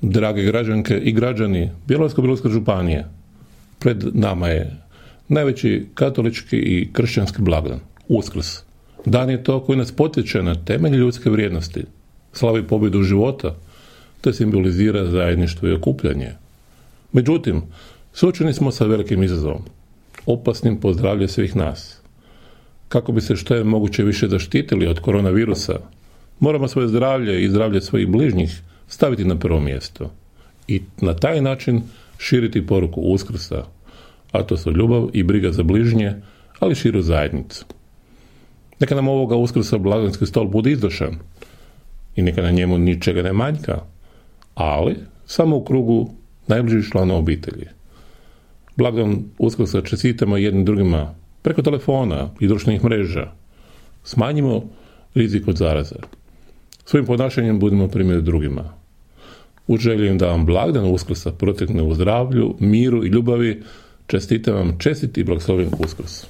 Drage građanke i građani Bjelovarsko-bilogorske županije, pred nama je najveći katolički i kršćanski blagdan, Uskrs. Dan je to koji nas potiče na temelj ljudske vrijednosti, slavi pobjedu života, te simbolizira zajedništvo i okupljanje. Međutim, suočeni smo sa velikim izazovom, opasnim po zdravlje svih nas. Kako bi se što je moguće više zaštitili od koronavirusa, moramo svoje zdravlje i zdravlje svojih bližnjih staviti na prvo mjesto i na taj način širiti poruku Uskrsa, a to su ljubav i briga za bližnje, ali širu zajednicu. Neka nam ovoga Uskrsa blagdanski stol bude izdošan i neka na njemu ničega ne manjka, ali samo u krugu najbližih članova obitelji. Blagdan Uskrsa čestitamo jednim drugima preko telefona i društvenih mreža. Smanjimo rizik od zaraze. Svojim ponašanjem budemo primjer drugima. U želji da vam blagdan Uskrsa protekne u zdravlju, miru i ljubavi, čestitam vam čestit i blagoslovljen Uskrs.